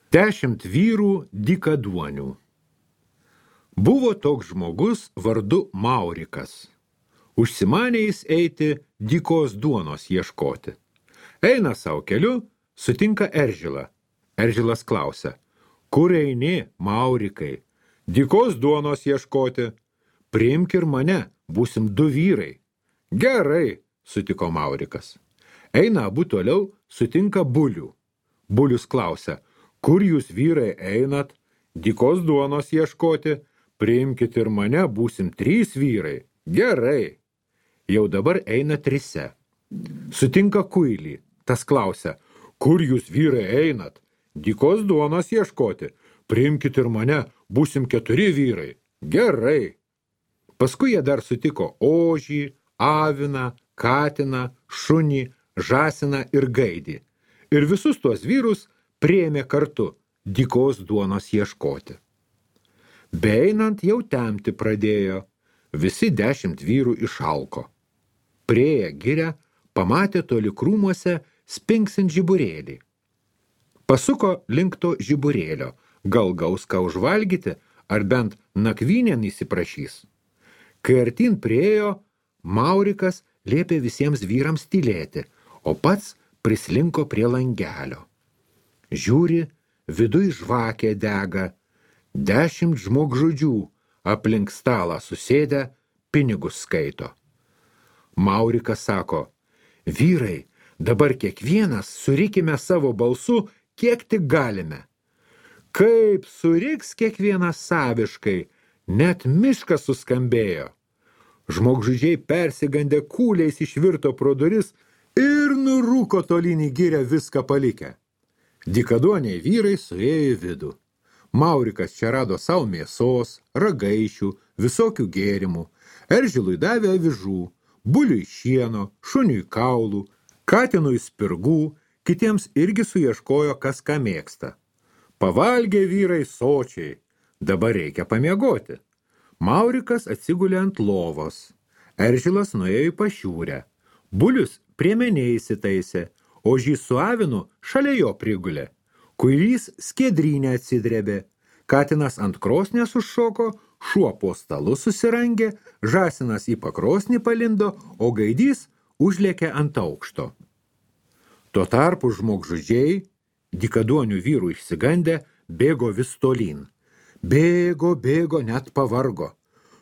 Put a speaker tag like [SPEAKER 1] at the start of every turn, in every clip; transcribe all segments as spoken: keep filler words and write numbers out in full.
[SPEAKER 1] Dešimt vyrų dykaduonių. Buvo toks žmogus vardu Maurikas. Užsimanė jis eiti dykos duonos ieškoti. Eina savo keliu, sutinka Eržilą. Eržilas klausia: kur eini, Maurikai? Dykos duonos ieškoti. Priimk ir mane, būsim du vyrai. Gerai, sutiko Maurikas. Eina abu toliau, sutinka Bulių. Bulius klausia: kur jūs vyrai einat? Dykos duonos ieškoti. Priimkit ir mane, būsim trys vyrai. Gerai. Jau dabar eina trise. Sutinka Kuilį. Tas klausia: kur jūs vyrai einat? Dykos duonos ieškoti. Priimkit ir mane, būsim keturi vyrai. Gerai. Paskui jie dar sutiko ožį, aviną, katiną, šunį, žąsiną ir gaidį. Ir visus tuos vyrus priėmė kartu dykos duonos ieškoti. Beeinant jau temti pradėjo, visi dešimt vyrų išalko. Priėję girią, pamatė toli krūmuose spingsint žiburėlį. Pasuko link to žiburėlio, gal gaus ką užvalgyti, ar bent nakvynėn įsiprašys. Kai artin priėjo, Maurikas liepė visiems vyrams tylėti, o pats prislinko prie langelio. Žiūri, viduj žvakė dega, dešimt žmogžudžių aplink stalą susėdę pinigus skaito. Maurikas sako: vyrai, dabar kiekvienas surikime savo balsu, kiek tik galime. Kaip suriks kiekvienas saviškai, net miškas suskambėjo. Žmogžudžiai persigandę kūliais išvirto pro duris ir nurūko tolyn į girią viską palikę. Dykaduoniai vyrai suėjo į vidų. Maurikas čia rado savo mėsos, ragaišių, visokių gėrimų. Eržilui davė avižų, Buliui šieno, šuniui kaulų, katinui spirgų, kitiems irgi suieškojo, kas ką mėgsta. Pavalgė vyrai sočiai, dabar reikia pamiegoti. Maurikas atsigulė ant lovos. Eržilas nuėjo į pašiūrę. Bulius prie menė įsitaisė, ožys su avinu šalia jo prigulė. Kuilys skiedrynę atsidrėbė. Katinas ant krosnės užšoko, šuo po stalu susirangė, žąsinas į pakrosnį palindo, o gaidys užlėkė ant aukšto. Tuo tarpu žmogžudžiai, dykaduonių vyrų išsigandę, bėgo vis tolyn. Bėgo, bėgo, net pavargo.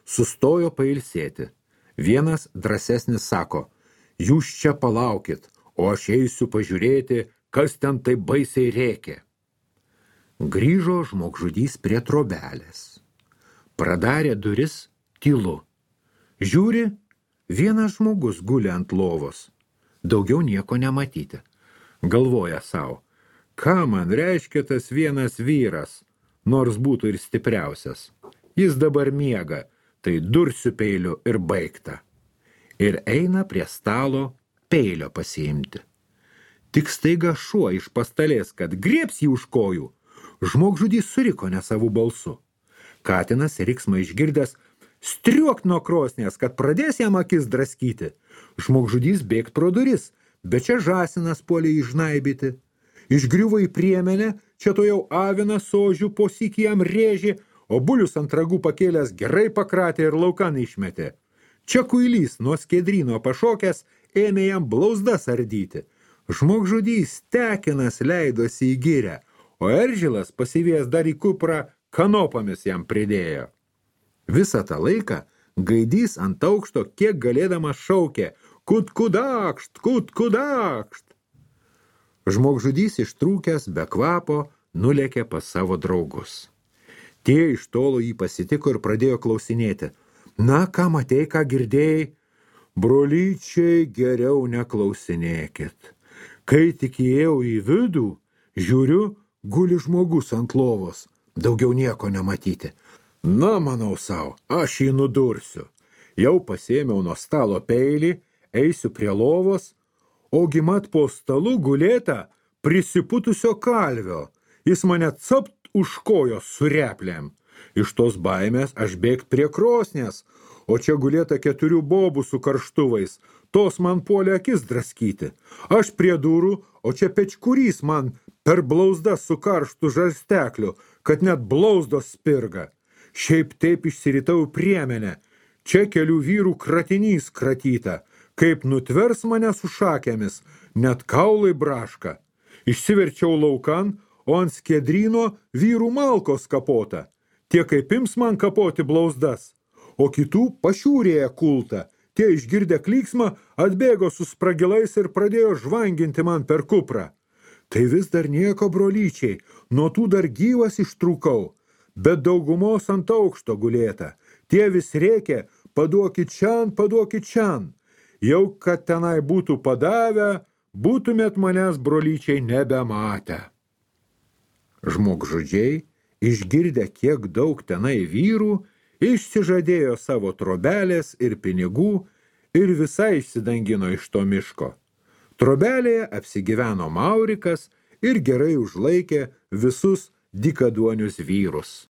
[SPEAKER 1] Sustojo pailsėti. Vienas drąsesnis sako: jūs čia palaukit, o aš eisiu pažiūrėti, kas ten taip baisiai rėkė. Grįžo žmogžudys prie trobelės. Pradarė duris tylu. Žiūri, vienas žmogus guli ant lovos. Daugiau nieko nematyti. Galvoja savo: ką man reiškia tas vienas vyras, nors būtų ir stipriausias. Jis dabar miega, tai dursiu peiliu ir baigta. Ir eina prie stalo peilio pasiimti. Tik staiga šuo iš pastalės, kad griebs jį už kojų. Žmogžudys suriko ne savų balsu. Katinas riksmą išgirdęs striuokt nuo krosnės, kad pradės jam akis draskyti. Žmogžudys bėgt pro duris, bet čia žąsinas puolė išnaibyti. Išgriuvo į priemenę, čia to jau avinas sožių po sykį jam rėžė, o Bulius ant ragų pakėlęs gerai pakratė ir laukan išmetė. Čia Kuilys nuo skiedryno pašokęs ėmė jam blauzdas ardyti. Žmogžudys tekinas leidosi į girią, o Eržilas pasivėjęs dar į kuprą kanopomis jam pridėjo. Visą tą laiką gaidys ant aukšto kiek galėdamas šaukė: kut kudakšt, kut kudakšt. Žmogžudys ištrūkęs be kvapo nulėkė pas savo draugus. Tie iš tolo jį pasitiko ir pradėjo klausinėti: na, ką matei, ką girdėjai? Brolyčiai, geriau neklausinėkit. Kai tik įėjau į vidų, žiūriu, guli žmogus ant lovos, daugiau nieko nematyti. Na, manau savo, aš jį nudursiu. Jau pasėmiau nuo stalo peilį, eisiu prie lovos, ogi mat po stalu gulėta prisiputusio kalvio. Jis mane capt už kojos su replėm. Iš tos baimės aš bėgt prie krosnės, o čia gulėta keturių bobų su karštuvais. Tos man puolė akis draskyti. Aš prie durų, o čia pečkurys man per blauzdą su karštu žarstekliu, kad net blauzdos spirga. Šiaip taip išsiritau priemenę, čia kelių vyrų kratinys kratyta, kaip nutvers mane su šakėmis, net kaulai braška. Išsiverčiau laukan, o ant skiedryno vyrų malkos kapota, tie kaip ims man kapoti blauzdas, o kitų pašiūrėje kulta. Tie išgirdę klyksmą atbėgo su spragilais ir pradėjo žvanginti man per kuprą. Tai vis dar nieko, brolyčiai, nuo tų dar gyvas ištrūkau, bet daugumos ant aukšto gulėta. Tie vis rėkė, paduokit čian, paduokit čian. Jau kad tenai būtų padavę, būtumėt manęs, brolyčiai, nebematę. Žmogžudžiai, išgirdę kiek daug tenai vyrų, išsižadėjo savo trobelės ir pinigų ir visai išsidangino iš to miško. Trobelėje apsigyveno Maurikas ir gerai užlaikė visus dykaduonius vyrus.